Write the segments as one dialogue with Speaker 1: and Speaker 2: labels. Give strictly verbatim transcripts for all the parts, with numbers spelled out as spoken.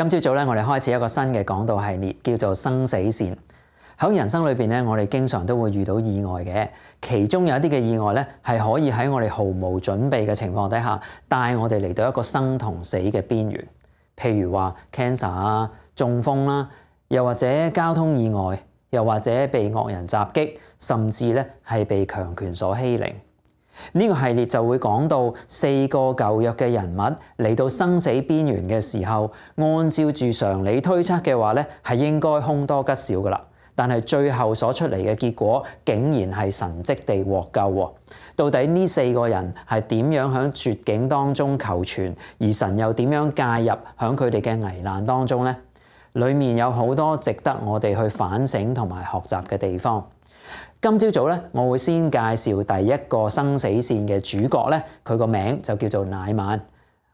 Speaker 1: 今朝早咧，我哋開始一個新嘅講道系列，叫做生死線。喺人生裏邊咧，我哋經常都會遇到意外嘅，其中有一啲嘅意外咧，係可以喺我哋毫無準備嘅情況底下，帶我哋嚟到一個生同死嘅邊緣。譬如話 cancer 啊、中風啦，又或者交通意外，又或者被惡人襲擊，甚至咧係被強權所欺凌。呢個系列就會講到四個舊約嘅人物嚟到生死邊緣嘅時候，按照住常理推測嘅話咧，係應該凶多吉少噶啦。但係最後所出嚟嘅結果，竟然係神蹟地獲救。到底呢四個人係點樣喺絕境當中求存，而神又點樣介入喺佢哋嘅危難當中呢？裡面有好多值得我哋去反省同埋學習嘅地方。今朝早咧，我會先介紹第一個生死線嘅主角咧，佢個名就叫做乃縵。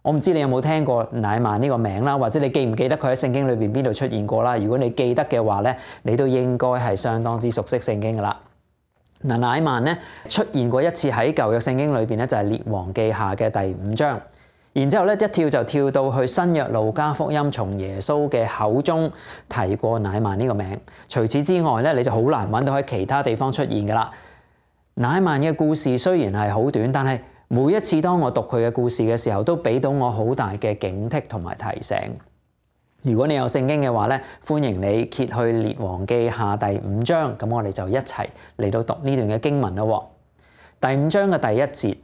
Speaker 1: 我唔知你有冇聽過乃縵呢個名啦，或者你記唔記得佢喺聖經裏邊邊度出現過啦？如果你記得嘅話咧，你都應該係相當之熟悉聖經噶啦。嗱，乃縵咧出現過一次喺舊約聖經裏邊咧，就係列王記下嘅第五章。然之後咧，一跳就跳到去新約路加福音，從耶穌嘅口中提過乃縵呢個名。除此之外咧，你就好難揾到喺其他地方出現噶啦。乃縵嘅故事雖然係好短，但係每一次當我讀佢嘅故事嘅時候，都俾到我好大嘅警惕同埋提醒。如果你有聖經嘅話咧，歡迎你揭去列王記下第五章，咁我哋就一齊嚟到讀呢段嘅經文咯。第五章嘅第一節。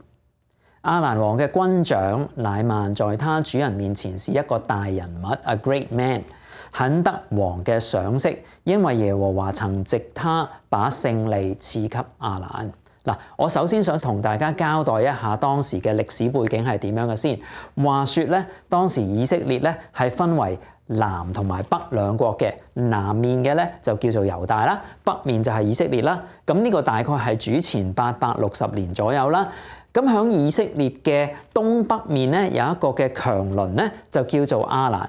Speaker 1: 亞蘭王嘅軍長乃縵在他主人面前是一個大人物 ，a great man， 很得王嘅賞識，因為耶和華曾藉他把勝利賜給亞蘭。嗱，我首先想同大家交代一下當時嘅歷史背景係點樣嘅先。話說咧，當時以色列咧係分為南同埋北兩國嘅，南面嘅咧就叫做猶大啦，北面就係以色列啦。咁呢個大概係主前八百六十年左右啦。咁喺以色列嘅東北面咧，有一個嘅強鄰咧，就叫做亞蘭。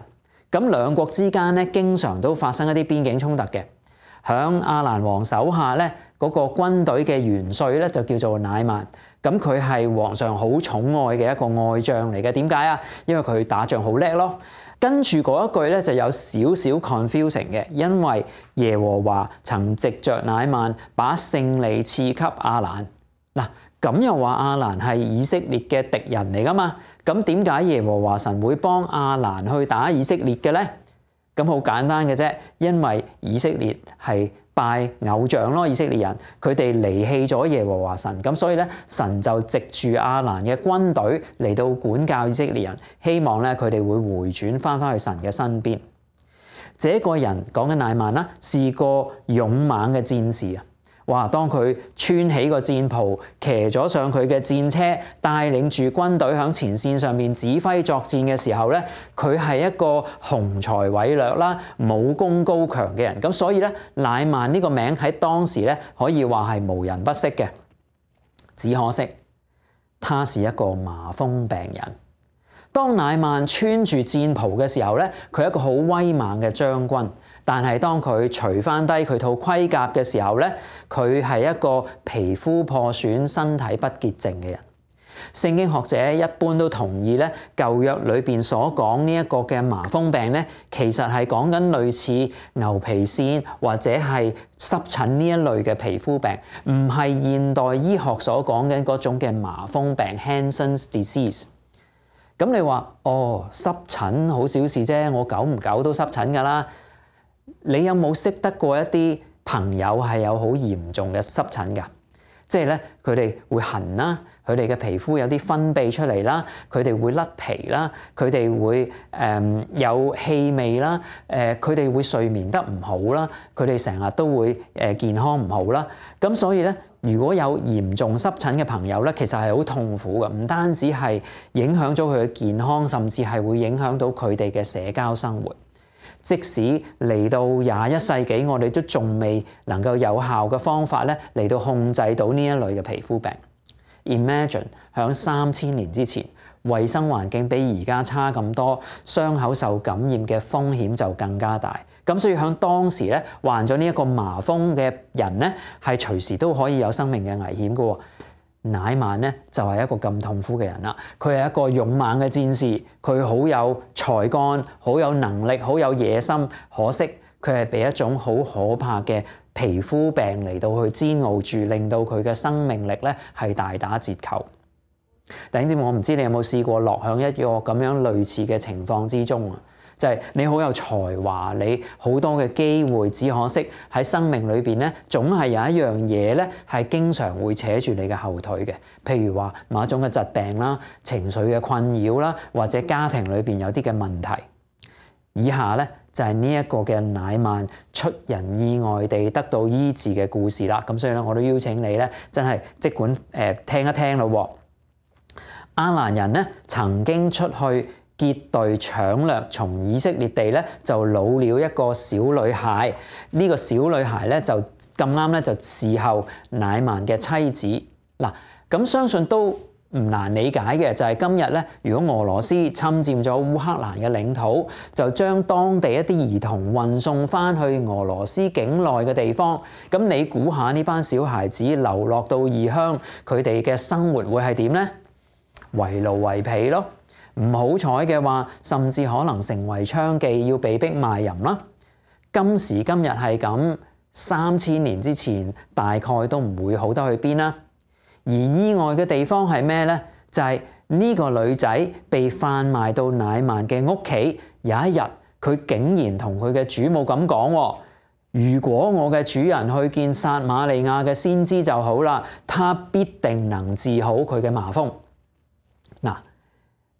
Speaker 1: 咁兩國之間咧，經常都發生一啲邊境衝突嘅。喺亞蘭王手下咧，嗰個軍隊嘅元帥咧，就叫做乃縵。咁佢係皇上好寵愛嘅一個愛將嚟嘅。點解啊？因為佢打仗好叻咯。跟住嗰一句咧，就有少少 confusing 嘅，因為耶和華曾藉着乃縵把勝利賜給亞蘭。嗱。咁又話亞蘭係以色列嘅敵人嚟噶嘛？咁點解耶和華神會幫亞蘭去打以色列嘅咧？咁好簡單嘅啫，因為以色列係拜偶像咯，以色列人佢哋離棄咗耶和華神，咁所以咧神就藉住亞蘭嘅軍隊嚟到管教以色列人，希望咧佢哋會回轉翻返去神嘅身邊。這個人講緊乃縵啦，是個勇猛嘅戰士啊！哇！當佢穿起個戰袍，騎咗上佢嘅戰車，帶領住軍隊響前線上面指揮作戰嘅時候咧，佢係一個雄才偉略啦、武功高強嘅人。咁所以咧，乃縵呢個名喺當時咧可以話係無人不識嘅。只可惜，他是一個麻風病人。當乃縵穿住戰袍嘅時候咧，佢係一個好威猛嘅將軍。但係當佢除翻低佢套盔甲嘅時候咧，佢係一個皮膚破損、身體不潔淨嘅人。聖經學者一般都同意咧，舊約裏邊所講呢一個嘅麻風病咧，其實係講緊類似牛皮癬或者係濕疹呢一類嘅皮膚病，唔係現代醫學所講緊嗰種嘅麻風病 （Hansen's disease）。咁你話哦，濕疹好小事啫，我久唔久都濕疹㗎啦。你有冇識得過一啲朋友係有好嚴重嘅濕疹㗎？即係咧，佢哋會痕啦，佢哋嘅皮膚有啲分泌出嚟啦，佢哋會甩皮啦，佢哋會誒、呃、有氣味啦，誒佢哋會睡眠得唔好啦，佢哋成日都會誒、呃、健康唔好啦。咁所以咧，如果有嚴重濕疹嘅朋友咧，其實係好痛苦嘅，唔單止係影響咗佢嘅健康，甚至係會影響到佢哋嘅社交生活。即使嚟到廿一世紀，我哋都仲未能夠有效嘅方法咧嚟到控制到呢一類嘅皮膚病。Imagine 響三千年之前，衛生環境比而家差咁多，傷口受感染嘅風險就更加大。咁所以響當時咧，患咗呢一個麻風嘅人咧，係隨時都可以有生命嘅危險㗎喎。乃縵咧就係一個咁痛苦嘅人啦。佢係一個勇猛嘅戰士，佢好有才幹，好有能力，好有野心。可惜佢係被一種好可怕嘅皮膚病嚟到去煎熬住，令到佢嘅生命力咧係大打折扣。弟兄姊妹，我唔知你有冇試過落響一個咁樣類似嘅情況之中啊？就係你好有才華，你好多嘅機會，只可惜喺生命裏邊咧，總係有一樣嘢咧係經常會扯住你嘅後腿嘅。譬如話某一種嘅疾病啦、情緒嘅困擾啦，或者家庭裏邊有啲嘅問題。以下咧就係呢一個嘅乃縵出人意外地得到醫治嘅故事啦。咁所以咧，我都邀請你咧，真係即管誒、呃、聽一聽咯。亞蘭人咧曾經出去結隊搶掠，從以色列地咧就擄了一個小女孩。呢、這個小女孩咧就咁啱咧就伺候乃縵嘅妻子。嗱，咁相信都唔難理解嘅，就係今日咧，如果俄羅斯侵佔咗烏克蘭嘅領土，就將當地一啲兒童運送翻去俄羅斯境內嘅地方。咁你估下呢班小孩子流落到異鄉，佢哋嘅生活會係點呢？為奴為婢咯。唔好彩嘅話，甚至可能成為娼妓，要被逼賣淫啦。今時今日係咁，三千年之前大概都唔會好得去邊啦。而意外嘅地方係咩呢？就係呢個女仔被販賣到乃縵嘅屋企。有一日，佢竟然同佢嘅主母咁講：如果我嘅主人去見撒瑪利亞嘅先知就好啦，他必定能治好佢嘅麻風。嗱，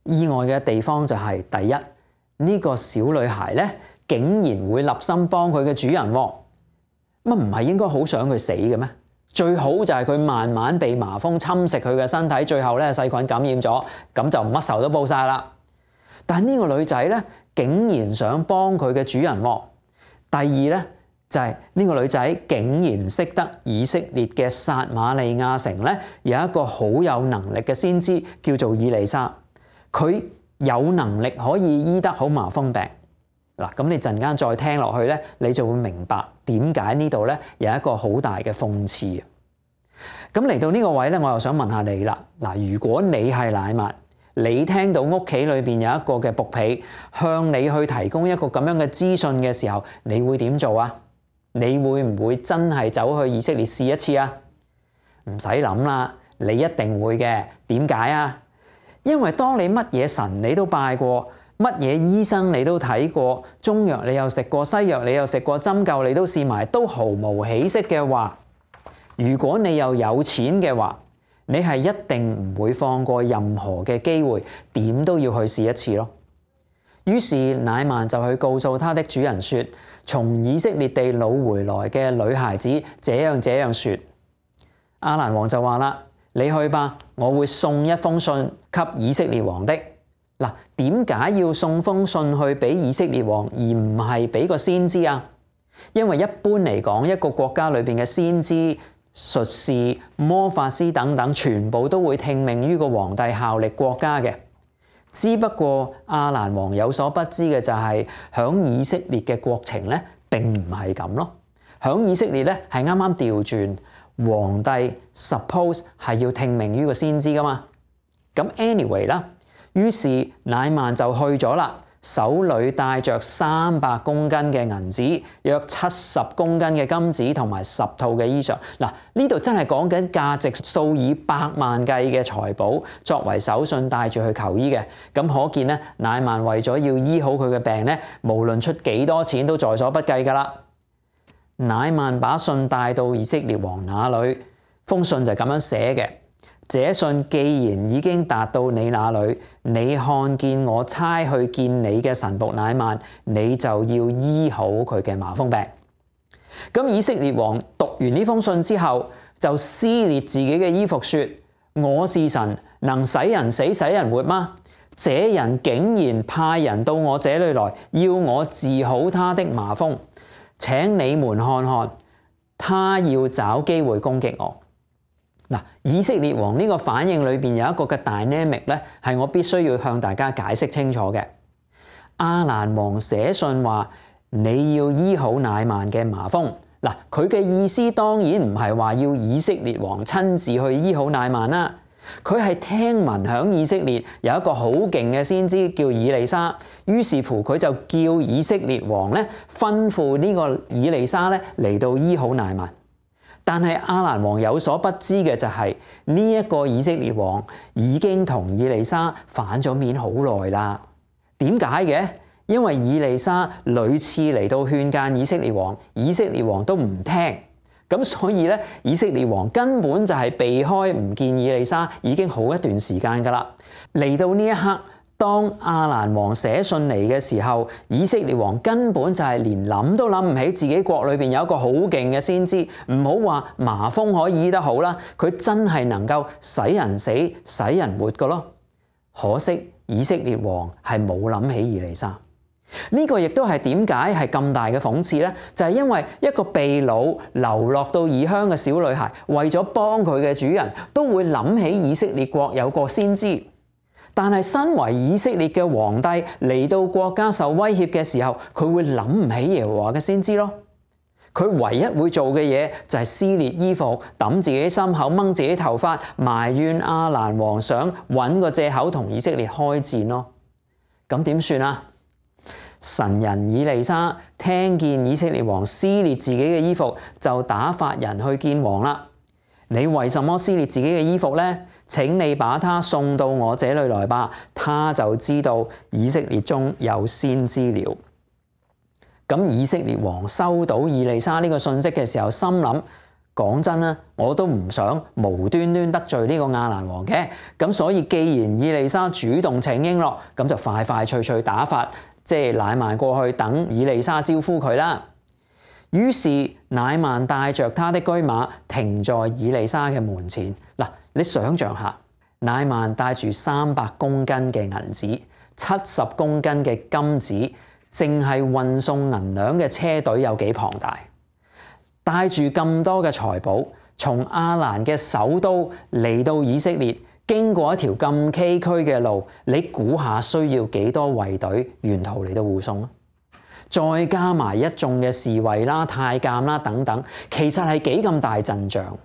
Speaker 1: 意外嘅地方就係、是、第一，呢、這個小女孩咧竟然會立心幫佢嘅主人，乜唔係應該好想佢死嘅咩？最好就係佢慢慢被麻風侵蝕佢嘅身體，最後咧細菌感染咗，咁就乜仇都報晒啦。但係呢個女仔咧竟然想幫佢嘅主人。第二咧就係、是、呢個女仔竟然識得以色列嘅撒瑪利亞城咧有一個好有能力嘅先知叫做以利沙，佢有能力可以醫得好麻風病。嗱，咁你陣間再聽落去咧，你就會明白點解呢度咧有一個好大嘅諷刺。咁嚟到呢個位咧，我又想問下你啦。嗱，如果你係乃縵，你聽到屋企裏邊有一個嘅僕婢向你去提供一個咁樣嘅資訊嘅時候，你會點做啊？你會唔會真係走去以色列試一次啊？唔使諗啦，你一定會嘅。點解啊？因為當你乜嘢神你都拜過，乜嘢醫生你都睇過，中藥你又食過，西藥你又食過，針灸你都試埋，都毫無起色嘅話，如果你又有錢嘅話，你係一定唔會放過任何嘅機會，點都要去試一次咯。於是乃縵就去告訴他的主人說：從以色列地擄回來嘅女孩子這樣這樣說。亞蘭王就話啦：你去吧，我會送一封信給以色列王的。嗱，點解要送封信去俾以色列王，而唔係俾個先知啊？因為一般嚟講，一個國家裏邊嘅先知、術士、魔法師等等，全部都會聽命於個皇帝，效力國家嘅。只不過亞蘭王有所不知嘅就係，響以色列嘅國情咧並唔係咁咯。響以色列咧係啱啱調轉，皇帝 suppose 係要聽命於個先知噶嘛。咁 anyway 啦。於是乃縵就去咗啦，手裏帶着三百公斤嘅銀子，約七十公斤嘅金子同埋十套嘅衣裳。嗱，呢度真係講緊價值數以百萬計嘅財寶，作為手信帶住去求醫嘅。咁可見咧，乃縵為咗要醫好佢嘅病咧，無論出幾多錢都在所不計噶啦。乃縵把信帶到以色列王那裏，封信就咁樣寫嘅。這信既然已經達到你那裏，你看見我差去見你嘅臣僕乃縵，你就要醫好佢嘅麻風病。咁以色列王讀完呢封信之後，就撕裂自己嘅衣服，說：我是神，能使人死使人活嗎？這人竟然派人到我這裏來，要我治好他的麻風。請你們看看，他要找機會攻擊我。嗱，以色列王呢個反應裏邊有一個嘅 dynamic 咧，係我必須要向大家解釋清楚嘅。亞蘭王寫信話你要醫好乃縵嘅麻風，嗱，佢嘅意思當然唔係話要以色列王親自去醫好乃縵啦，佢係聽聞響以色列有一個好勁嘅先知叫以利沙，於是乎佢就叫以色列王咧吩咐呢個以利沙咧嚟到醫好乃縵。但係亞蘭王有所不知嘅就係呢一個以色列王已經同以利沙反咗面好耐啦。點解嘅？因為以利沙屢次嚟到勸諫以色列王，以色列王都唔聽，咁所以咧以色列王根本就係避開唔見以利沙已經好一段時間噶啦。嚟到呢一刻，當亞蘭王寫信嚟嘅時候，以色列王根本就係連諗都諗唔起自己國裏邊有一個好勁嘅先知，唔好話麻風可以醫得好啦，佢真係能夠使人死、使人活噶咯。可惜以色列王係冇諗起以利沙，呢個亦都係點解係咁大嘅諷刺呢？就係因為一個被擄流落到異鄉嘅小女孩，為咗幫佢嘅主人，都會諗起以色列國有個先知。但係身為以色列嘅皇帝嚟到國家受威脅嘅時候，佢會諗唔起耶和華嘅先知咯。佢唯一會做嘅嘢就係撕裂衣服、揼自己心口、掹自己頭髮，埋怨亞蘭王想揾個藉口同以色列開戰咯。咁點算啊？神人以利沙聽見以色列王撕裂自己嘅衣服，就打發人去見王啦。你為什麼撕裂自己嘅衣服呢？請你把他送到我這裏來吧，他就知道以色列中有先知了。咁以色列王收到以利沙呢個信息嘅時候，心諗：講真啦，我都唔想無端端得罪呢個亞蘭王嘅。咁所以既然以利沙主動請纓咯，咁就快快脆脆打發即係乃縵過去等以利沙招呼佢啦。於是乃縵帶着他的駒馬停在以利沙嘅門前。嗱，你想象下，乃縵帶住三百公斤嘅銀子、七十公斤嘅金子，淨係運送銀兩嘅車隊有幾龐大？帶住咁多嘅財寶，從亞蘭嘅首都嚟到以色列，經過一條咁崎嶇嘅路，你估下需要幾多衛隊沿途嚟到護送啊？再加埋一眾嘅侍衛啦、太監啦等等，其實係幾咁大陣仗。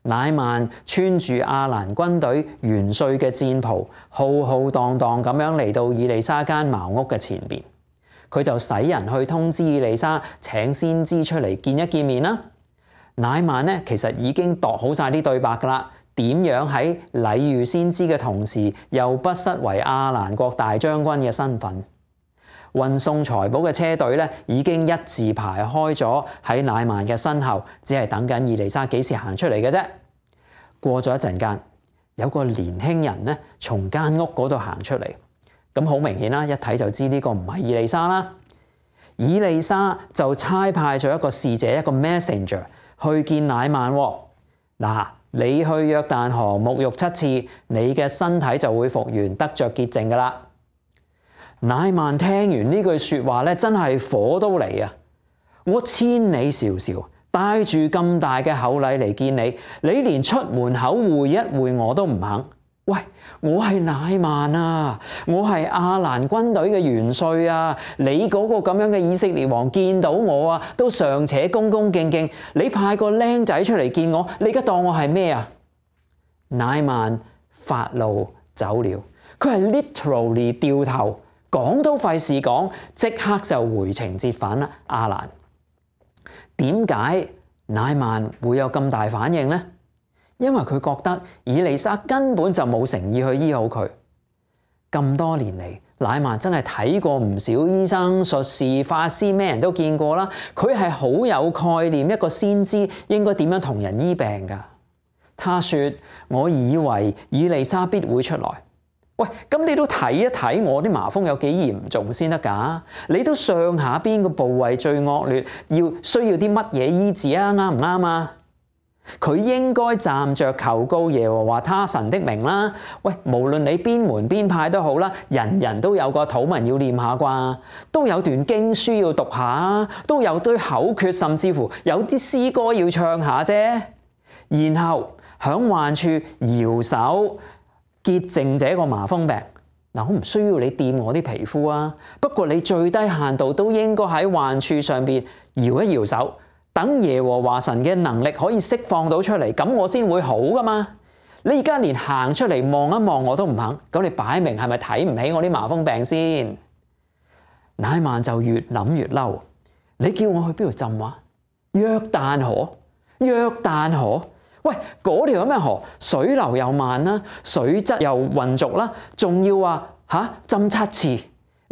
Speaker 1: 乃縵穿住亞蘭軍隊元帥嘅戰袍，浩浩蕩蕩咁樣嚟到以利沙間茅屋嘅前邊，佢就使人去通知以利沙請先知出嚟見一見面啦。乃縵呢其實已經度好晒啲對白噶啦，點樣喺禮遇先知嘅同時，又不失為亞蘭國大將軍嘅身份。運送財寶嘅車隊咧，已經一字排開咗喺乃縵嘅身後，只係等緊以利沙幾時行出嚟嘅啫。過咗一陣間，有個年輕人咧從間屋嗰度行出嚟，咁好明顯啦，一睇就知呢個唔係以利沙啦。以利沙就差派咗一個使者，一個 messenger 去見乃縵。嗱，你去約旦河沐浴七次，你嘅身體就會復原，得着潔淨噶啦。乃縵聽完呢句說話咧，真係火都嚟啊！我千里迢迢帶住咁大嘅厚禮嚟見你，你連出門口會一會我都唔肯。喂，我係乃縵啊，我係亞蘭軍隊嘅元帥啊！你嗰個咁樣嘅以色列王見到我啊，都尚且恭恭敬敬，你派個僆仔出嚟見我，你而家當我係咩啊？乃縵發怒走了，佢係 literally 掉頭。講都費事講，即刻就回程折返啦。亞蘭，點解乃縵會有咁大反應呢？因為佢覺得以利沙根本就冇誠意去醫好佢。咁多年嚟，乃縵真係睇過唔少醫生、術士、法師，咩人都見過啦。佢係好有概念，一個先知應該點樣同人醫病㗎。他說：我以為以利沙必會出來。喂，咁你都睇一睇我啲麻風有幾嚴重先得㗎？你都上下邊個部位最惡劣，要需要啲乜嘢醫治啊？啱唔啱啊？佢應該站着求告耶和華他神的名啦。喂，無論你邊門邊派都好啦，人人都有個禱文要念下啩，都有段經書要讀下，都有堆口訣，甚至乎有啲詩歌要唱下啫。然後響患處搖手潔淨這個麻風病。嗱，我唔需要你掂我啲皮膚啊，不過你最低限度都應該喺患處上邊搖一搖手，等耶和華神嘅能力可以釋放到出嚟，咁我先會好噶嘛。你而家連行出嚟望一望我都唔肯，咁你擺明係咪睇唔起我啲麻風病先？乃縵就越諗越嬲，你叫我去邊度浸啊？約旦河，約旦河，喂，嗰條有咩河？水流又慢啦，水質又渾濁啦，仲要話吓浸七次，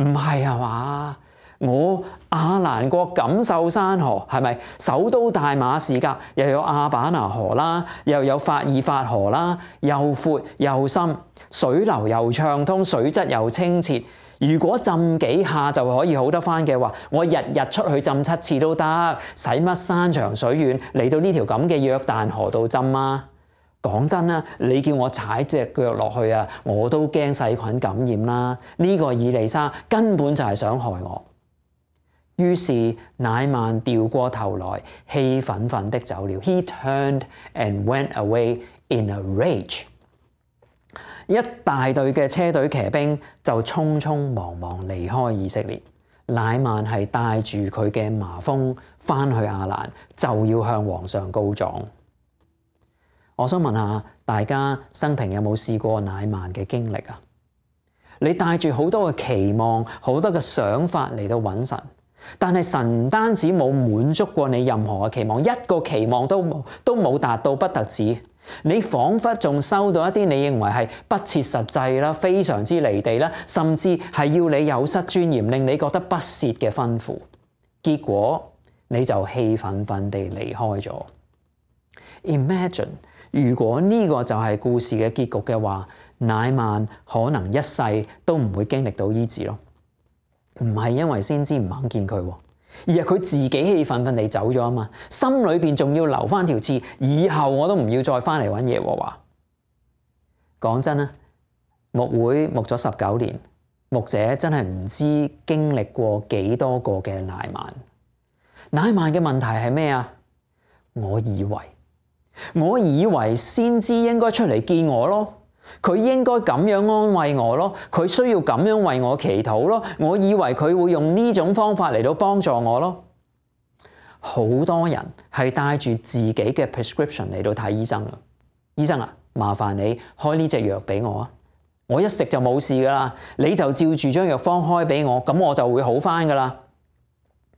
Speaker 1: 唔係啊嘛？我亞蘭國錦繡山河係咪？首都大馬士革又有亞巴拿河啦，又有法爾法河啦，又闊又深，水流又暢通，水質又清澈。如果浸幾下就可以好得返嘅話，我日日出去浸七次都得，使乜山長水遠嚟到呢條咁嘅約旦河度浸啊？講真啦，你叫我踩隻腳落去啊，我都驚細菌感染啦。呢個以利沙根本就係想害我。於是乃縵掉過頭來，氣憤憤的走了。He turned and went away in a rage。一大隊嘅車隊騎兵就匆匆忙忙離開以色列。乃縵係帶住佢嘅麻風返去亞蘭，就要向皇上告狀。我想問下大家生平有冇試過乃縵嘅經歷啊？你帶住好多嘅期望，好多嘅想法嚟到揾神。但係神唔單止冇滿足過你任何嘅期望，一個期望都冇都冇達到，不特止，你彷彿仲收到一啲你認為係不切實際啦、非常之離地啦，甚至係要你有失尊嚴、令你覺得不屑嘅吩咐，結果你就氣憤憤地離開咗。Imagine 如果呢個就係故事嘅結局嘅話，乃縵可能一世都唔會經歷到醫治咯。唔係因為先知唔肯見佢，而係佢自己氣憤憤地走咗啊嘛，心裏邊仲要留翻條刺，以後我都唔要再翻嚟揾耶和華。講真啦，牧會牧咗十九年，牧者真係唔知經歷過幾多個嘅乃縵。乃縵嘅問題係咩啊？我以為，我以為先知應該出嚟見我咯。佢應該咁樣安慰我咯，佢需要咁樣為我祈禱咯。我以為佢會用呢種方法嚟到幫助我咯。好多人係帶住自己嘅 prescription 嚟到睇醫生啊。醫生啊，麻煩你開呢隻藥俾我啊，我一食就冇事噶啦。你就照住張藥方開俾我，咁我就會好翻噶啦。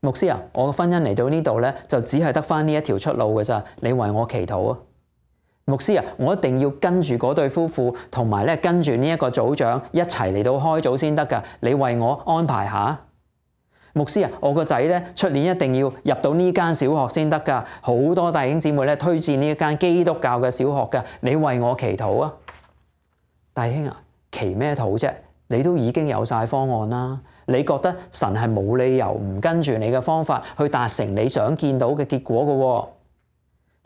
Speaker 1: 牧師啊，我嘅婚姻嚟到呢度咧，就只係得翻呢一條出路噶咋，你為我祈禱啊。牧師啊，我一定要跟住嗰對夫婦，同埋咧跟住呢一個組長一齊嚟到開組先得噶。你為我安排下。牧師啊，我個仔咧出年一定要入到呢間小學先得噶。好多弟兄姊妹咧推薦呢一間基督教嘅小學噶，你為我祈禱啊。弟兄啊，祈咩禱啫？你都已經有晒方案啦。你覺得神係冇理由唔跟住你嘅方法去達成你想見到嘅結果嘅喎？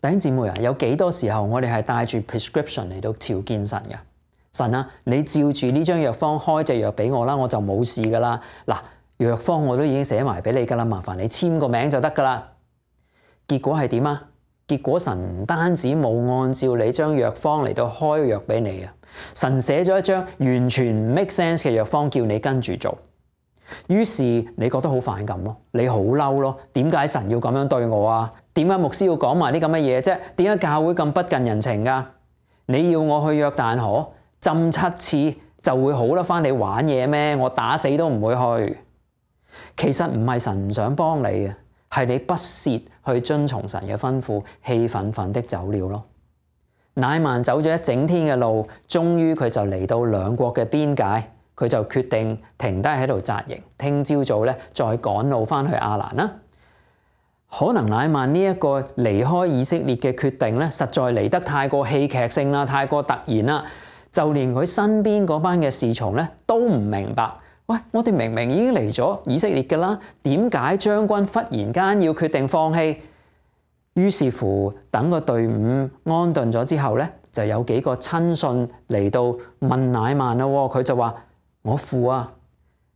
Speaker 1: 弟兄姊妹啊，有幾多時候我哋係帶住 prescription 嚟到朝見神嘅？神啊，你照住呢張藥方開隻藥俾我啦，我就冇事噶啦。嗱，藥方我都已經寫埋俾你噶啦，麻煩你簽個名就得噶啦。結果係點啊？結果神唔單止冇按照你張藥方嚟到開藥俾你啊，神寫咗一張完全唔 make sense 嘅藥方叫你跟住做。於是你覺得好反感咯，你好嬲咯，點解神要咁樣對我啊？點解牧師要講埋啲咁嘅嘢啫？點解教會咁不近人情噶？你要我去約旦河浸七次就會好得翻你玩嘢咩？我打死都唔會去。其實唔係神唔想幫你啊，係你不屑去遵從神嘅吩咐，氣憤憤的走了咯。乃縵走咗一整天嘅路，終於佢就嚟到兩國嘅邊界。佢就決定停低喺度紮營，聽朝早咧再趕路翻去亞蘭啦。可能乃縵呢一個離開以色列嘅決定咧，實在嚟得太過戲劇性啦，太過突然啦，就連佢身邊嗰班嘅侍從咧都唔明白。喂，我哋明明已經嚟咗以色列㗎啦，點解將軍忽然間要決定放棄？於是乎，等個隊伍安頓咗之後咧，就有幾個親信嚟到問乃縵啦。佢就話：我父啊，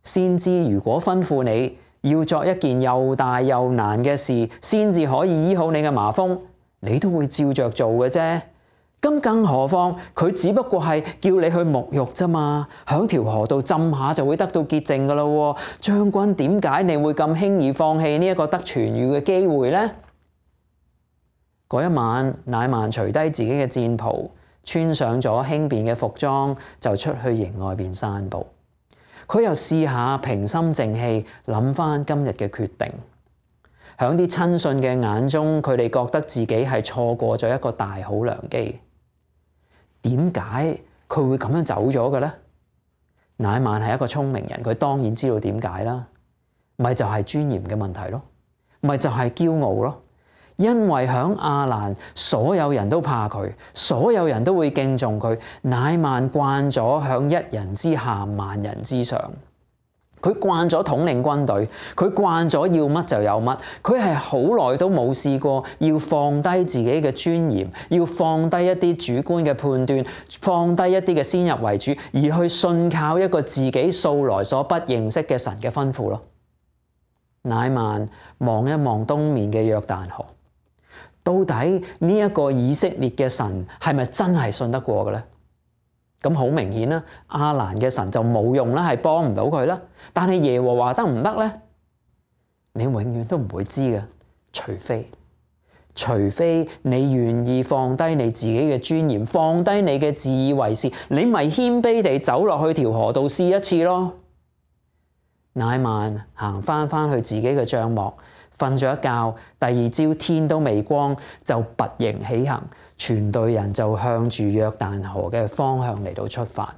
Speaker 1: 先知如果吩咐你要作一件又大又難嘅事，先至可以醫好你嘅麻風，你都會照着做嘅啫。咁更何況佢只不過係叫你去沐浴啫嘛，響條河度浸下就會得到潔淨噶啦。將軍，點解你會咁輕易放棄呢一個得痊癒嘅機會呢？嗰一晚，乃縵除低自己嘅戰袍，穿上咗輕便嘅服裝，就出去營外邊散步。佢又試下平心靜氣諗翻今日嘅決定。響啲親信嘅眼中，佢哋覺得自己係錯過咗一個大好良機。點解佢會咁樣走咗嘅咧？乃縵係一個聰明人，佢當然知道點解啦。咪就係尊嚴嘅問題咯，咪就係驕傲咯。因為響亞蘭，所有人都怕佢，所有人都會敬重佢。乃縵慣咗響一人之下，萬人之上。佢慣咗統領軍隊，佢慣咗要乜就有乜。佢係好耐都冇試過要放低自己嘅尊嚴，要放低一啲主觀嘅判斷，放低一啲嘅先入為主，而去信靠一個自己素來所不認識嘅神嘅吩咐咯。乃縵望一望東面嘅約旦河，到底呢一個以色列嘅神係咪真係信得過嘅咧？咁好明顯啦，亞蘭嘅神就冇用啦，係幫唔到佢啦。但係耶和華得唔得咧？你永遠都唔會知嘅，除非除非你願意放低你自己嘅尊嚴，放低你嘅自以為是，你咪謙卑地走落去條河度試一次咯。乃縵行翻翻去自己嘅帳幕，瞓咗一覺，第二朝天都未光就拔營起行，全隊人就向住約旦河嘅方向嚟到出發。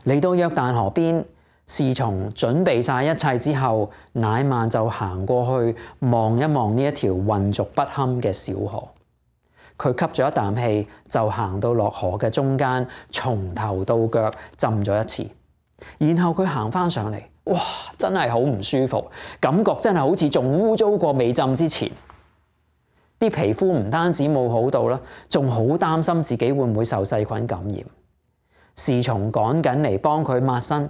Speaker 1: 嚟到約旦河邊，侍從準備晒一切之後，乃縵就行過去望一望呢一條混濁不堪嘅小河。佢吸咗一啖氣，就行到落河嘅中間，從頭到腳浸咗一次。然後佢行翻上嚟，哇！真係好唔舒服，感覺真係好似仲污糟過未浸之前。啲皮膚唔單止冇好到啦，仲好擔心自己會唔會受細菌感染。侍從趕緊嚟幫佢抹身，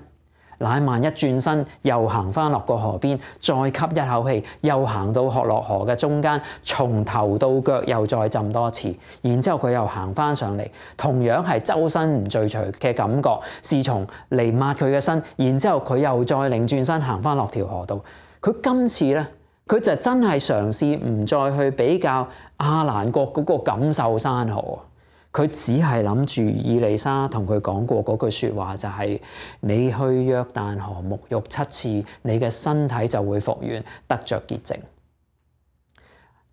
Speaker 1: 乃縵一轉身又行翻落個河邊，再吸一口氣，又行到落河嘅中間，從頭到腳又再浸多次。然之後佢又行翻上嚟，同樣係周身唔聚財嘅感覺。侍從嚟抹佢嘅身，然之後佢又再擰轉身行翻落條河度。佢今次咧，佢就真係嘗試唔再去比較亞蘭國嗰個錦繡山河。佢只係諗住以利沙同佢講過嗰句說話，就係、是、你去約旦河沐浴七次，你嘅身體就會復原，得着潔淨。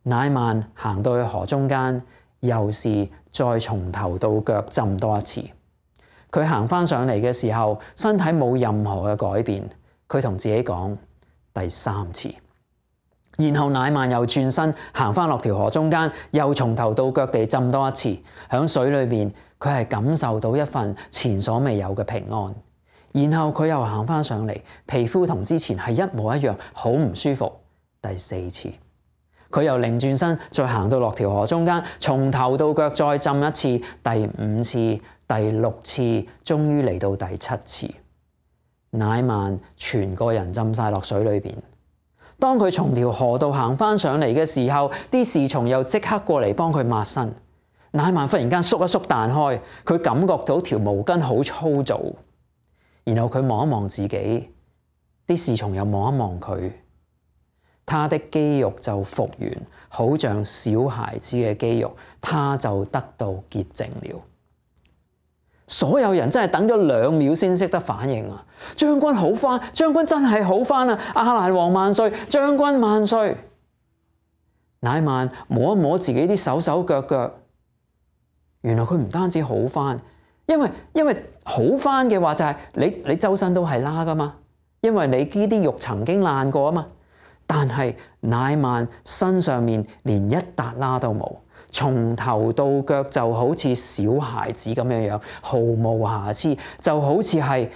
Speaker 1: 乃縵行到去河中間，又是再從頭到腳浸多一次。佢行翻上嚟嘅時候，身體冇任何嘅改變。佢同自己講第三次。然後乃縵又轉身行翻落條河中間，又從頭到腳地浸多一次。響水裏面，佢係感受到一份前所未有嘅平安。然後佢又行翻上嚟，皮膚同之前係一模一樣，好唔舒服。第四次，佢又擰轉身，再行到落條河中間，從頭到腳再浸一次。第五次、第六次，終於嚟到第七次。乃縵全個人浸晒落水裏邊。當佢從條河度行翻上嚟嘅時候，啲侍從又即刻過嚟幫佢抹身。乃縵忽然間縮一縮彈開，佢感覺到條毛巾好粗糙。然後佢望一望自己，啲侍從又望一望佢，他的肌肉就復原，好像小孩子嘅肌肉，他就得到潔淨了。所有人真係等咗兩秒先識得反應啊！將軍好翻，將軍真係好翻啊！亞蘭王萬歲，將軍萬歲！乃縵摸一摸自己啲手手腳腳，原來佢唔單止好翻，因為因為好翻嘅話就係你你周身都係疤噶嘛，因為你呢啲肉曾經爛過啊嘛。但係乃縵身上面連一笪疤都冇。從頭到腳就好似小孩子咁樣樣，毫無瑕疵，就好似係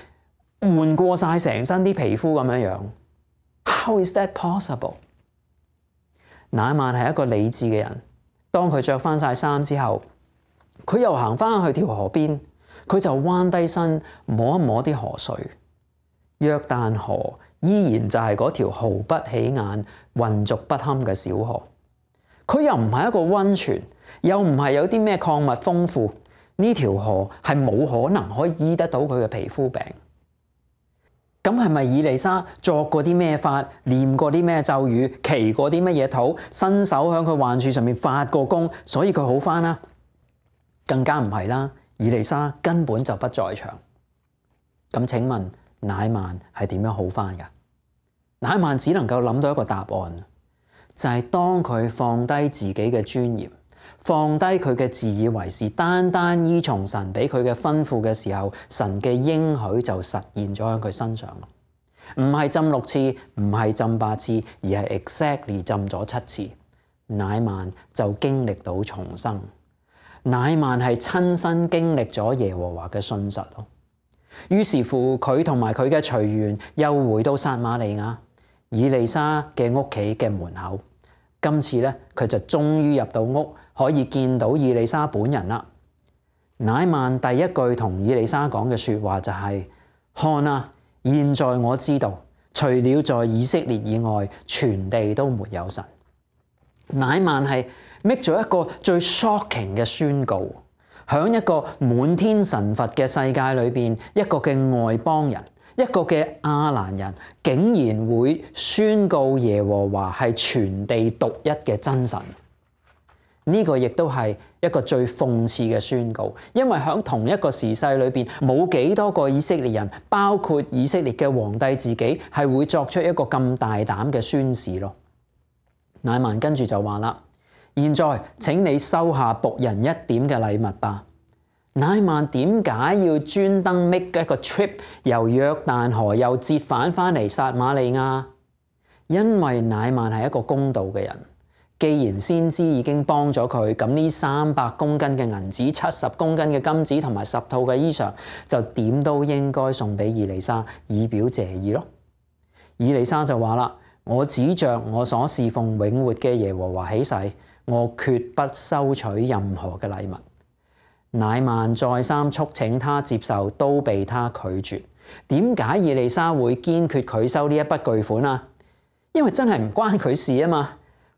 Speaker 1: 換過晒成身啲皮膚咁樣樣。How is that possible？ 乃縵係一個理智嘅人，當佢着翻晒衫之後，佢又行翻去條河邊，佢就彎低身摸一摸啲河水。約旦河依然就係嗰條毫不起眼、渾濁不堪嘅小河。佢又唔係一個溫泉，又唔係有啲咩礦物豐富，呢條河係冇可能可以醫得到佢嘅皮膚病。咁係咪以利沙作過啲咩法，念過啲咩咒語，祈過啲乜嘢禱，伸手喺佢患處上面發過功，所以佢好返啦？更加唔係啦，以利沙根本就不在場。咁請問乃縵係點樣好返㗎？乃縵只能夠諗到一個答案，就係當佢放低自己嘅尊嚴，放低佢嘅自以為是，單單依從神俾佢嘅吩咐嘅時候，神嘅應許就實現咗喺佢身上。唔係浸六次，唔係浸八次，而係 exactly 浸咗七次。乃縵就經歷到重生。乃縵係親身經歷咗耶和華嘅信實咯。於是乎，佢同埋佢嘅隨員又回到撒瑪利亞以利沙嘅屋企嘅門口。今次咧，佢就終於入到屋，可以見到以利沙本人啦。乃縵第一句同以利沙講嘅說話就係、是：看啊，現在我知道，除了在以色列以外，全地都沒有神。乃縵係 make 咗一個最 shocking 嘅宣告，響一個滿天神佛嘅世界裏邊，一個嘅外邦人，一個嘅亞蘭人，竟然會宣告耶和華係全地獨一嘅真神。呢、這個亦都係一個最諷刺嘅宣告，因為響同一個時勢裏邊，冇幾多個以色列人，包括以色列嘅皇帝自己，係會作出一個咁大膽嘅宣示咯。乃縵跟住就話啦：現在請你收下僕人一點嘅禮物吧。乃縵點解要專登 make 一個 trip 由約旦河又折返翻嚟撒瑪利亞？因為乃縵係一個公道嘅人。既然先知已經幫咗佢，咁呢三百公斤嘅銀子、七十公斤嘅金子同埋十套嘅衣裳，就點都應該送俾以利沙，以表謝意咯。以利沙就話啦：我指着我所侍奉永活嘅耶和華起誓，我決不收取任何嘅禮物。乃縵再三促請他接受，都被他拒絕。點解以利沙會堅決拒收呢一筆巨款啊？因為真係唔關佢事啊嘛。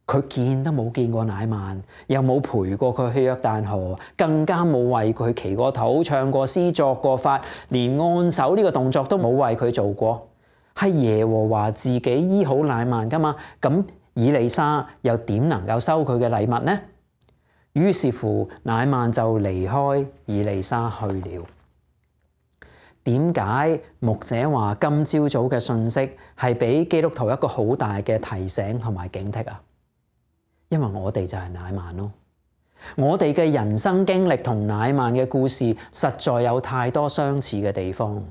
Speaker 1: 佢見都冇見過乃縵，又冇陪過佢去約旦河，更加冇為佢祈過禱、唱過詩、作過法，連按手呢個動作都冇為佢做過。係耶和華自己醫好乃縵噶嘛？咁以利沙又點能夠收佢嘅禮物呢？於是乎，乃縵就離開以利沙去了。點解牧者話今朝早嘅信息係俾基督徒一個好大嘅提醒同埋警惕啊？因為我哋就係乃縵咯，我哋嘅人生經歷同乃縵嘅故事實在有太多相似嘅地方。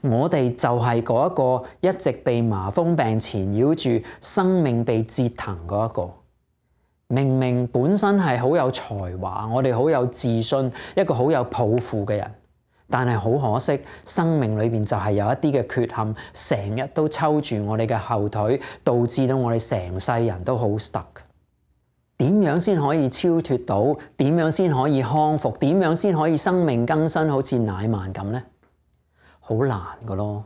Speaker 1: 我哋就係嗰一個一直被麻風病纏繞住，生命被折騰嗰一個。明明本身係好有才華，我哋好有自信，一個好有抱負嘅人，但係好可惜，生命裏邊就係有一啲嘅缺陷，成日都抽住我哋嘅後腿，導致到我哋成世人都好 stuck。點樣先可以超脫到？點樣先可以康復？點樣先可以生命更新？好似乃縵咁呢？好難噶咯！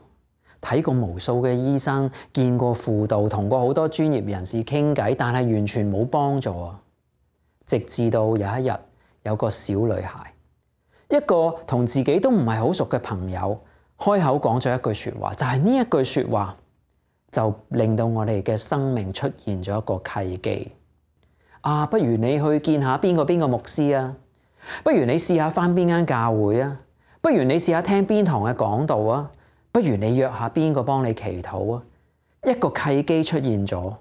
Speaker 1: 睇過無數嘅醫生，見過輔導，同過好多專業人士傾偈，但係完全冇幫助啊！直至到有一日，有個小女孩，一個同自己都唔係好熟嘅朋友，開口講咗一句說話，就係呢一句說話，就令到我哋嘅生命出現咗一個契機。啊，不如你去見下邊個邊個牧師啊，不如你試下返邊間教會啊，不如你試下聽邊堂嘅講道啊，不如你約下邊個幫你祈禱啊。一個契機出現咗，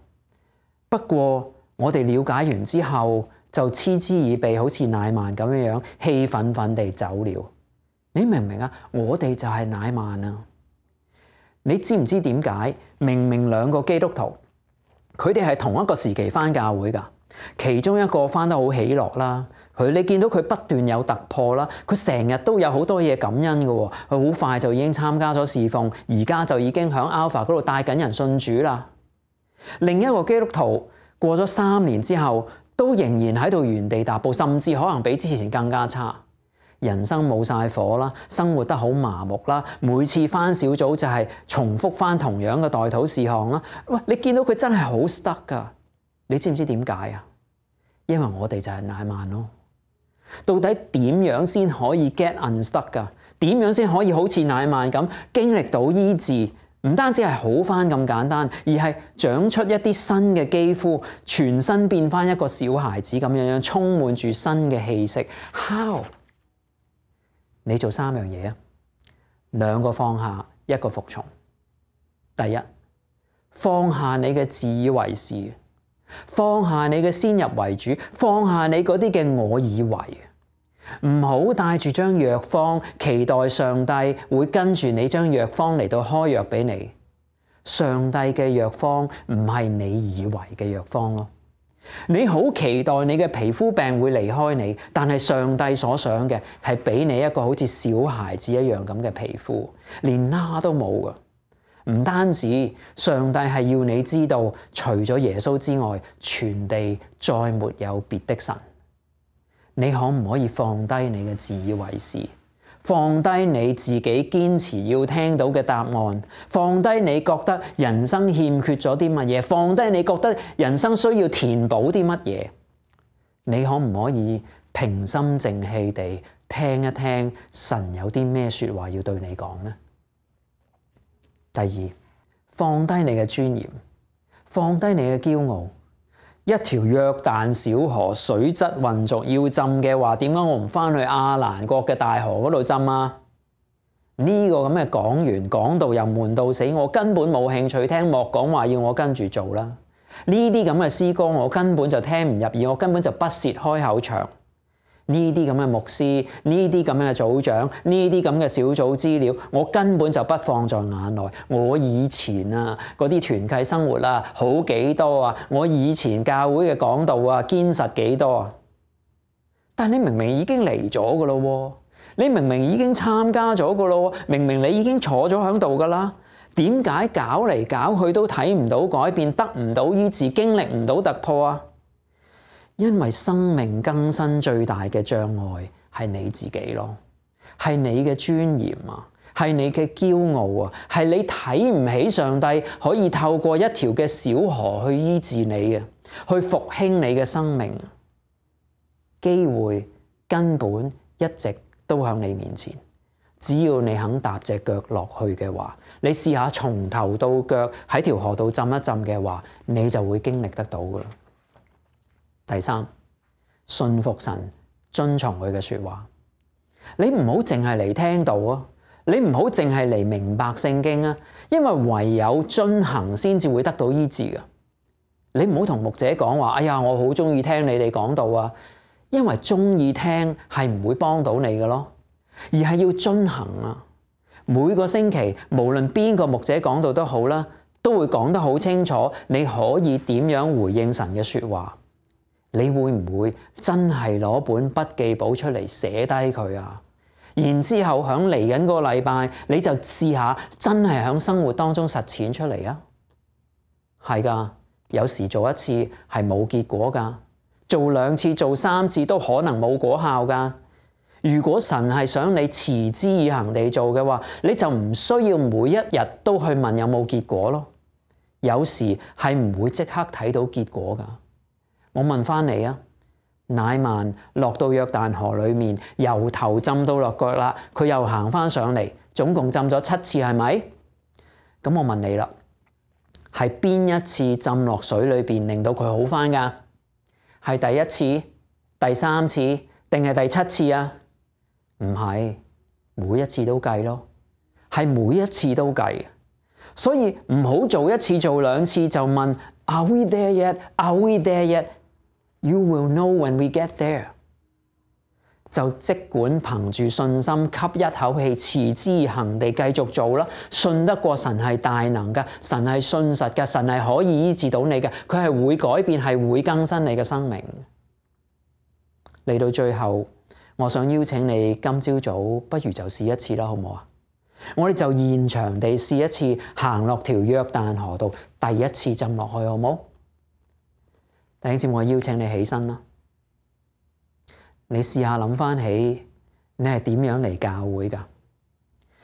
Speaker 1: 不過我哋了解完之後就嗤之以鼻，好似乃縵咁樣樣氣憤憤地走了。你明唔明啊？我哋就係乃縵啊！你知唔知點解？明明兩個基督徒，佢哋係同一個時期返教會㗎。其中一個返得好喜樂啦，佢你見到佢不斷有突破啦，佢成日都有好多嘢感恩嘅喎，佢好快就已經參加咗侍奉，而家就已經喺 Alpha 嗰度帶緊人信主啦。另一個基督徒過咗三年之後，都仍然喺度原地踏步，甚至可能比之前更加差，人生冇晒火啦，生活得好麻木啦，每次返小組就係重複返同樣嘅代禱事項啦。喂，你見到佢真係好 stuck 㗎，你知唔知點解啊？因為我哋就係乃縵咯。到底點樣先可以 get unstuck 噶？點樣先可以好似乃縵咁經歷到醫治，唔單止係好返咁簡單，而係長出一啲新嘅肌膚，全身變返一個小孩子咁樣樣，充滿住新嘅氣息。How？你做三樣嘢啊，兩個放下，一個服從。第一，放下你嘅自以為是，放下你嘅先入為主，放下你嗰啲嘅我以為。唔好帶住張藥方，期待上帝會跟住你張藥方嚟到開藥俾你。上帝嘅藥方唔係你以為嘅藥方咯。你好期待你嘅皮膚病會離開你，但係上帝所想嘅係俾你一個好似小孩子一樣咁嘅皮膚，連疤都冇噶。唔單止，上帝係要你知道，除咗耶穌之外，全地再沒有別的神。你可唔可以放低你嘅自以為是，放低你自己堅持要聽到嘅答案，放低你覺得人生欠缺咗啲乜嘢，放低你覺得人生需要填補啲乜嘢？你可唔可以平心靜氣地聽一聽神有啲咩說話要對你講呢？第二，放低你嘅尊嚴，放低你嘅驕傲。一條約旦小河水質渾濁，要浸嘅話，點解我唔返去亞蘭國嘅大河嗰度浸啊？呢個咁嘅講員講到又悶到死，我根本冇興趣聽，莫講話要我跟住做啦。呢啲咁嘅詩歌我根本就聽唔入耳，我根本就不屑開口唱。呢啲咁嘅牧師，呢啲咁嘅組長，呢啲咁嘅小組資料，我根本就不放在眼內。我以前啊，嗰啲團契生活啊，好幾多啊！我以前教會嘅講道啊，堅實幾多啊！但你明明已經嚟咗噶咯，你明明已經參加咗噶咯，明明你已經坐咗喺度噶啦，點解搞嚟搞去都睇唔到改變，得唔到醫治，經歷唔到突破啊？因為生命更新最大嘅障礙係你自己咯，係你嘅尊嚴啊，係你嘅驕傲啊，係你睇唔起上帝可以透過一條嘅小河去醫治你啊，去復興你嘅生命。機會根本一直都喺你面前，只要你肯踏隻腳落去嘅話，你試下從頭到腳喺條河度浸一浸嘅話，你就會經歷得到噶啦。第三，信服神，遵從佢嘅說話。你唔好淨係嚟聽道啊，你唔好淨係嚟明白聖經啊，因為唯有遵行先至會得到醫治噶。你唔好同牧者講話，哎呀，我好中意聽你哋講道啊，因為中意聽係唔會幫到你嘅咯，而係要遵行啊。每個星期無論邊個牧者講道都好啦，都會講得好清楚，你可以點樣回應神嘅說話。你會唔會真係攞本筆記簿出嚟寫低佢啊？然之後響嚟緊個禮拜，你就試下真係響生活當中實踐出嚟啊！係噶，有時做一次係冇結果噶，做兩次、做三次都可能冇果效噶。如果神係想你持之以恆地做嘅話，你就唔需要每一日都去問有冇結果咯。有時係唔會即刻睇到結果噶。我問翻你啊，乃縵落到約旦河裏面，由頭浸到落腳啦，佢又行翻上嚟，總共浸咗七次，係咪？咁我問你啦，係邊一次浸落水裏邊令到佢好翻噶？係第一次、第三次定係第七次啊？唔係，每一次都計咯，係每一次都計。所以唔好做一次做兩次就問 Are we there yet? Are we there yet? You will know when we get there。就即管憑住信心吸一口氣，持之以恆地繼續做啦。信得過神係大能㗎，神係信實㗎，神係可以醫治到你嘅，佢係會改變，係會更新你嘅生命。嚟到最後，我想邀請你今朝早不如就試一次啦，好唔好啊？我哋就現場地試一次，行落條約旦河度，第一次浸落去，好唔好？弟兄姊妹，我邀請你起身啦。你試下諗翻起，你係點樣嚟教會㗎？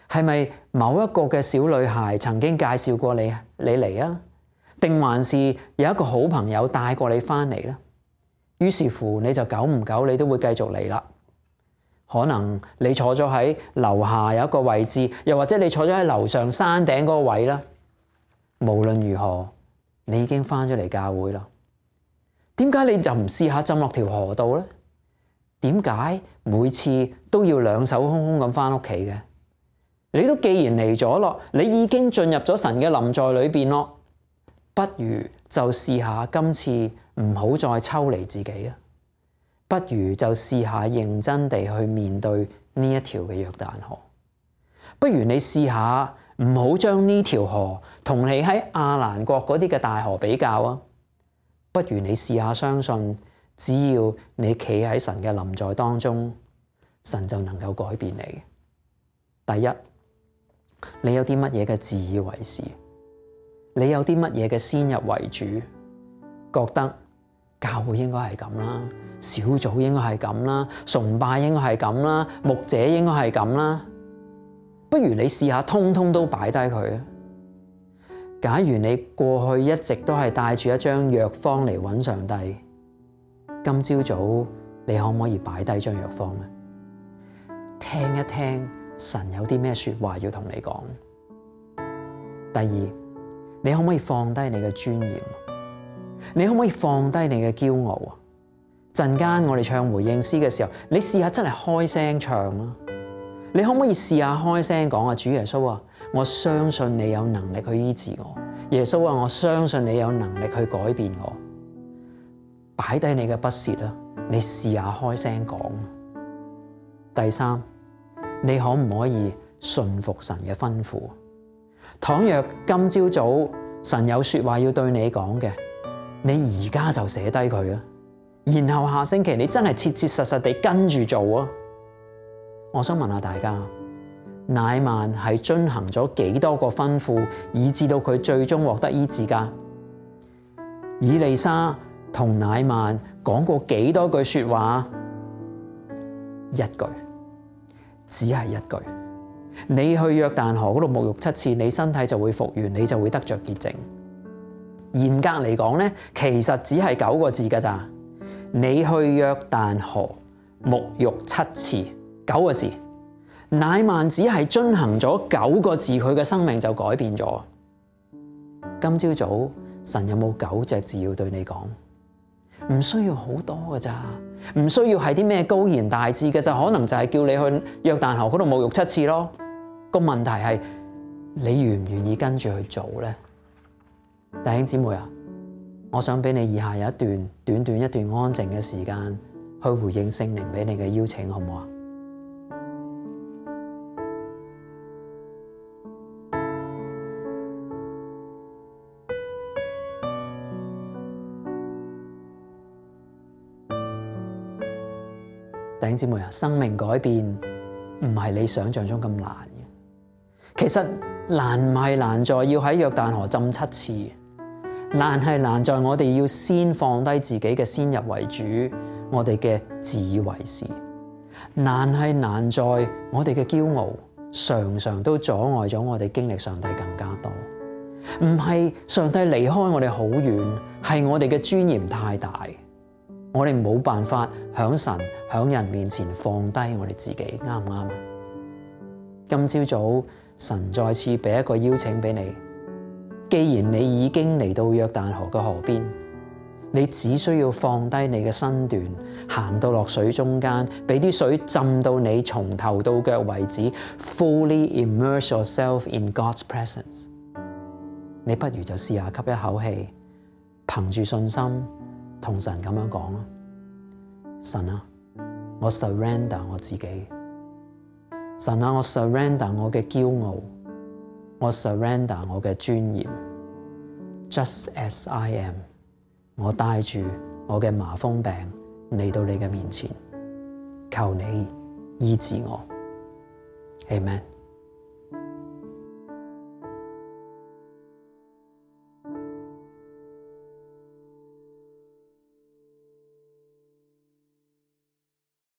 Speaker 1: 係咪某一個嘅小女孩曾經介紹過你，你嚟啊？定還是有一個好朋友帶過你翻嚟咧？於是乎，你就久唔久你都會繼續嚟啦。可能你坐咗喺樓下有一個位置，又或者你坐咗喺樓上山頂嗰個位啦。無論如何，你已經翻咗嚟教會啦。點解你就唔試下浸落條河度咧？點解每次都要兩手空空咁翻屋企嘅？你都既然嚟咗咯，你已經進入咗神嘅臨在裏邊咯，不如就試下今次唔好再抽離自己啊！不如就試下認真地去面對呢一條嘅約旦河。不如你試下唔好將呢條河同你喺亞蘭國嗰啲嘅大河比較啊！不如你試下相信，只要你企喺神嘅臨在當中，神就能夠改變你。第一，你有啲乜嘢嘅自以為是？你有啲乜嘢嘅先入為主？覺得教會應該係咁啦，小組應該係咁啦，崇拜應該係咁啦，牧者應該係咁啦。不如你試下通通都擺低佢啊！假如你過去一直都係帶住一張藥方嚟揾上帝，今朝早你可唔可以擺低張藥方咧？聽一聽神有啲咩說話要同你講。第二，你可唔可以放低你嘅尊嚴？你可唔可以放低你嘅驕傲啊？陣間我哋唱回應詩嘅時候，你試下真係開聲唱啊！你可唔可以試下開聲講啊？主耶穌啊，我相信你有能力去醫治我。耶穌啊，我相信你有能力去改變我。擺低你嘅不屑啦，你試下開聲講。第三，你可唔可以順服神嘅吩咐？倘若今朝早神有說話要對你講嘅，你而家就寫低佢啊，然後下星期你真係切切實實地跟住做啊！我想問下大家，乃縵係遵行咗幾多個吩咐，以至到佢最終獲得醫治㗎？以利沙同乃縵講過幾多句說話？一句，只係一句。你去約旦河嗰度沐浴七次，你身體就會復原，你就會得着潔淨。嚴格嚟講咧，其實只係九個字㗎咋。你去約旦河沐浴七次，九個字。乃縵只係遵行咗九個字，佢嘅生命就改變咗。今朝早神有冇九隻字要對你講？唔需要好多㗎咋，唔需要係啲咩高言大志嘅，就可能就係叫你去約旦河嗰度沐浴七次咯。個問題係你願唔願意跟住去做咧？弟兄姊妹啊，我想俾你以下有一段短短一段安靜嘅時間去回應聖靈俾你嘅邀請，好唔好啊？弟兄姊妹啊，生命改變唔係你想象中咁難嘅。其實難唔係難在要喺約旦河浸七次，難係難在我哋要先放低自己嘅先入為主，我哋嘅自以為是。難係難在我哋嘅驕傲，常常都阻礙咗我哋經歷上帝更加多。唔係上帝離開我哋好遠，係我哋嘅尊嚴太大。我哋冇辦法響神響人面前放低我哋自己，啱唔啱啊？今朝早神再次俾一個邀請俾你，既然你已經嚟到約旦河嘅河邊，你只需要放低你嘅身段，行到落水中間，俾啲水浸到你從頭到腳為止 ，fully immerse yourself in God's presence。你不如就試下吸一口氣，憑住信心。同神咁樣講啊，神啊，我 surrender 我自己，神啊，我 surrender 我嘅驕傲，我 surrender 我嘅尊嚴 ，just as I am， 我帶住我嘅麻風病嚟到你嘅面前，求你醫治我 ，Amen。